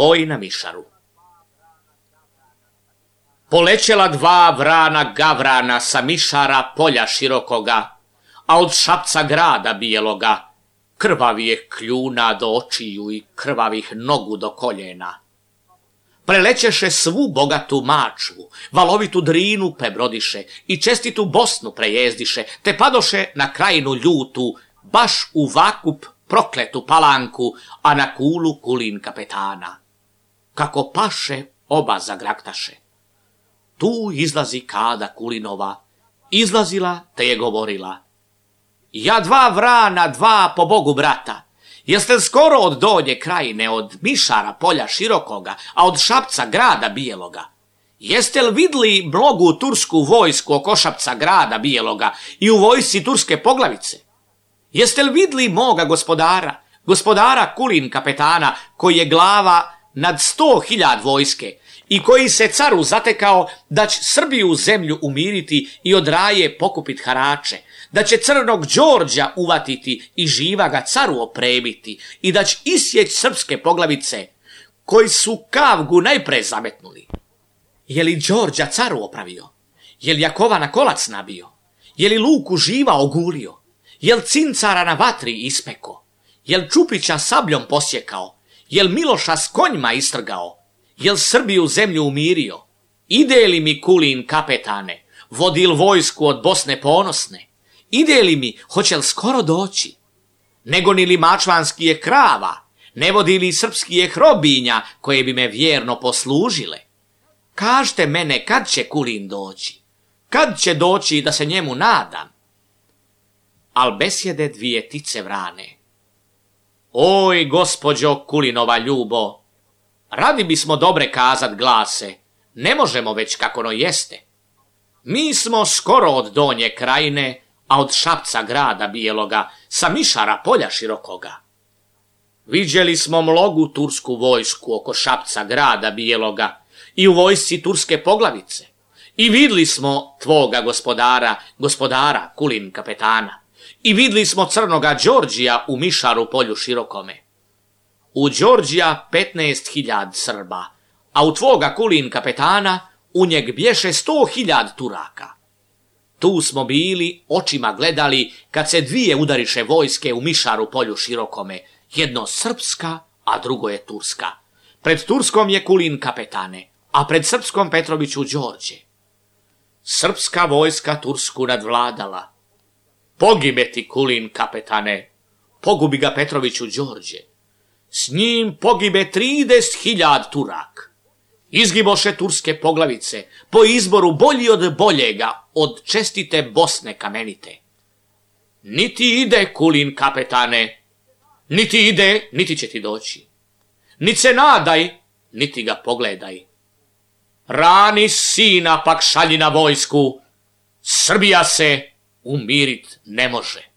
Boj na Mišaru. Polećela dva vrana gavrana sa Mišara polja širokoga, a od Šapca grada bijeloga, krvavih kljuna do očiju i krvavih nogu do koljena. Prelećeše svu bogatu Mačvu, valovitu Drinu prebrodiše i čestitu Bosnu prejezdiše, te padoše na krajinu ljutu, baš u Vakup prokletu Palanku, a na Kulu Kulin kapetana. Kako paše, oba zagraktaše. Tu izlazi Kada Kulinova, izlazila te je govorila: ja dva vrana, dva po Bogu brata, jeste li skoro od Donje krajine, od Mišara polja širokoga, a od Šapca grada bijeloga? Jeste li vidli mnogu tursku vojsku oko Šapca grada bijeloga i u vojsci turske poglavice? Jeste li vidli moga gospodara Kulin kapetana, koji je glava nad 100.000 vojske i koji se caru zatekao da će Srbiju zemlju umiriti i od Raje pokupit harače, da će Crnog Đorđa uvatiti i živa ga caru opremiti i da će isjeć srpske poglavice koji su Kavgu najpre zametnuli? Je li Đorđa caru opravio? Je li Jakovana kolac nabio? Je li Luku živa ogulio? Je li Cincara na vatri ispeko? Je li Čupića sabljom posjekao? Je li Miloša s konjima istrgao? Je li Srbiju zemlju umirio? Ide li mi Kulin kapetane, vodil vojsku od Bosne ponosne? Ide li mi, hoće li skoro doći? Nego ni li mačvanski je krava, ne vodi li srpski je hrobinja koje bi me vjerno poslužile? Kažte mene, kad će Kulin doći? Kad će doći da se njemu nadam? Al besjede dvije tice vrane: oj, gospođo Kulinova ljubo, radi bismo dobre kazat glase, ne možemo već kako no jeste. Mi smo skoro od Donje krajine, a od Šapca grada bijeloga, sa Mišara polja širokoga. Viđeli smo mnogu tursku vojsku oko Šapca grada bijeloga i u vojsci turske poglavice. I vidli smo tvoga gospodara Kulin kapetana. I vidli smo Crnoga Đorđija u Mišaru polju širokome. U Đorđija 15.000 Srba, a u tvoga Kulin kapetana u njeg bješe 100.000 Turaka. Tu smo bili, očima gledali, kad se dvije udariše vojske u Mišaru polju širokome, jedno srpska, a drugo je turska. Pred turskom je Kulin kapetane, a pred srpskom Petroviću Đorđe. Srpska vojska Tursku nadvladala. Pogibe ti Kulin kapetane, pogubi ga Petroviću Đorđe. S njim pogibe 30.000 Turak. Izgiboše turske poglavice, po izboru bolji od boljega, od čestite Bosne kamenite. Niti ide Kulin kapetane, niti ide, niti će ti doći. Niti se nadaj, niti ga pogledaj. Rani sina pak šalji na vojsku, Srbija se umirit ne može.